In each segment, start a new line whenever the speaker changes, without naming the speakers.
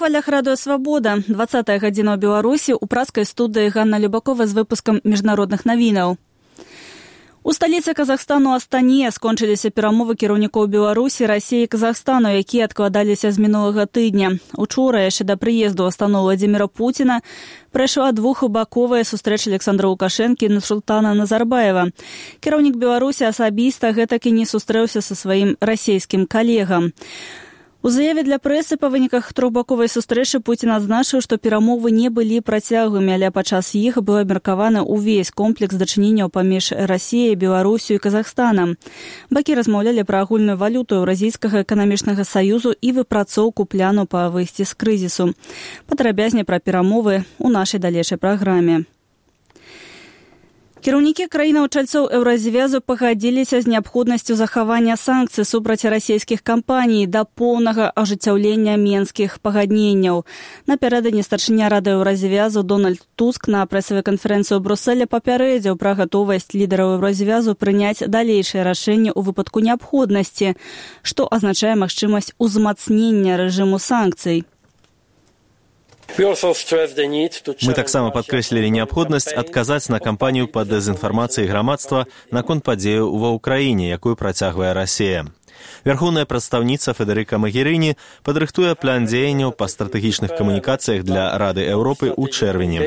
хвалях радыё «Свабода». 20-я гадзіна ў Беларусі ў праскай студыі Ганна Любакова з выпускам міжнародных навінаў. У сталіцы Казахстану Астане скончыліся перамовы кіраўнікоў Беларусі, Расіі і Казахстану, якія адкладаліся з минулага тыдня. Учора, яшчэ да прыезду ў Астану Владзіміра Пуціна, прайшла двухбаковая сустрэча Александра Лукашэнкі і Нурсултана Назарбаева. Кіраўнік Беларусі асабіста гэтак і не сустрэўся са сваім расійскім калегам. У заяве для прэсы па выніках трохбаковай сустрэчы Пуцін адзначыў, што перамовы не былі працяглымі, але падчас іх быў абмеркаваны ўвесь комплекс дачыненняў паміж Расіяй, Беларусю і Казахстанам. Бакі размаўлялі пра агульную валюту Еўразійскага эканамічнага саюзу і выпрацоўку пляну па выйсці з крызісу. Падрабязней пра перамовы ў нашай далейшай праграме. Кіраўнікі краінаў-чальцоў Еўразвязу пагадзіліся з неабходнасцю захавання санкцый супраць расійскіх кампаній да поўнага ажыццяўлення менскіх пагадненняў. Напярэдадні старшыня Рады Еўразвязу Дональд Туск на прэсавай канферэнцыі ў Брусэле папярэдзіў пра гатовасць лідараў Еўразвязу прыняць далейшыя рашэнні ў выпадку неабходнасці, што азначае магчымасць узмацнення рэжыму санкцый.
Мы таксама падкрэслілі неабходнасць адказаць на кампанію па дэзінфармацыі грамадства наконт падзеяў ва ўкраіне, якую працягвае Расія. Вярхоўная прадстаўніца Федэрыка Магерыні падрыхтуе план дзеянняў па стратэгічных камунікацыях для Рады Еўропы ў чэрвені.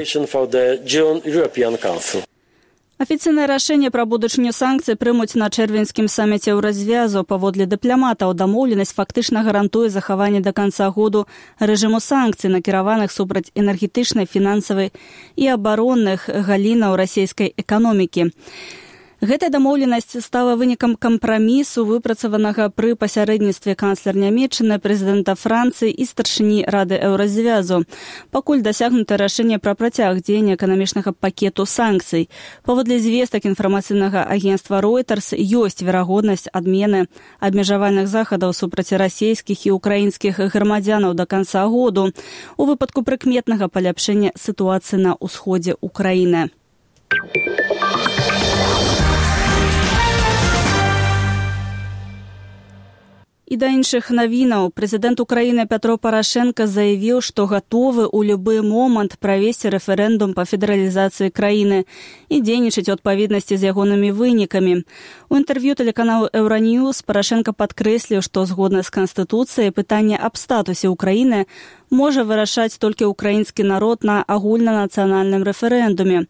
Афіцыйнае рашэнне пра будучыню санкцый прымуць на чэрвеньскім саміце Еўразвязу. Паводле дыпламатаў, дамоўленасць фактычна гарантуе захаванне да канца году рэжыму санкцый, накіраваных супраць энергетычнай, фінансавай і абаронных галінаў расійскай эканомікі. Гэтая дамоўленасць стала вынікам кампрамісу, выпрацаванага пры пасярэдніцтве канцлер Нямецчыны, прэзідэнта Францыі і старшыні Рады Еўразвязу. Пакуль дасягнута рашэнне пра працяг дзеяння эканамічнага пакету санкцый. Паводле звестак інфармацыйнага агенцтва Reuters ёсць верагоднасць адмены абмежавальных захадаў супраць расійскіх і украінскіх грамадзянаў да канца году у выпадку прыкметнага паляпшэння сітуацыі на ўсходзе ўкраіны. І да іншых навінаў. Прэзідэнт Украіны Пятро Парашенка заявіў, што гатовы ў любы момант правесці рэферэндум па федэралізацыі краіны і дзейнічаць у адпаведнасці з ягонымі вынікамі. У інтэрв'ю тэлеканалу Еўраньюз Парашенка падкрэсліў, што згодна з Канстытуцыяй пытанне аб статусе Украіны можа вырашаць толькі ўкраінскі народ на агульнанацыянальным рэферэндуме.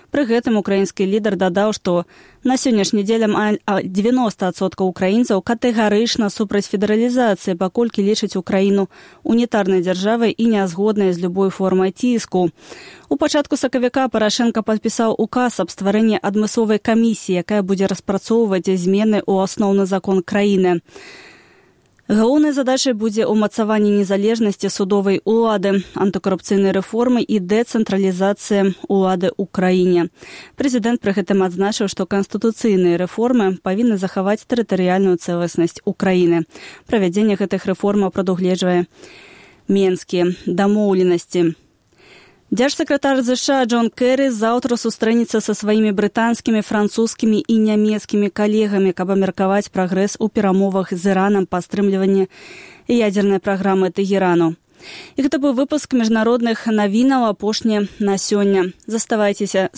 Пры гэтым украінскі лідар дадаў, што на сённяшні дзень 90% украінцаў катэгарычна супраць федэралізацыі, паколькі лічаць Украіну унітарнай дзяржавай і нязгоднай з любой формай ціску. У пачатку сакавіка Парашенка падпісаў указ аб стварэнні адмысловай камісіі, якая будзе распрацоўваць змены ў асноўны закон краіны. Галоўнай задачай будзе ўмацаванне незалежнасці судовай улады, антыкарупцыйнай рэформы і дэцэнтралізацыя улады ў краіне. Прэзідэнт пры гэтым адзначыў, што канстытуцыйныя рэформы павінны захаваць тэрытарыяльную цэласнасць Украіны. Правядзенне гэтых рэформаў прадугледжвае менскія дамоўленасці. Дзяржсакратар ЗША Джон Кэры заўтра сустрэнецца са сваімі брытанскімі, французскімі і нямецкімі калегамі, каб абмеркаваць прагрэс у перамовах з Іранам па стрымліванні ядзернай праграмы Тэгерану. І гэта быў выпуск міжнародных навінаў, апошні на сёння. Заставайцеся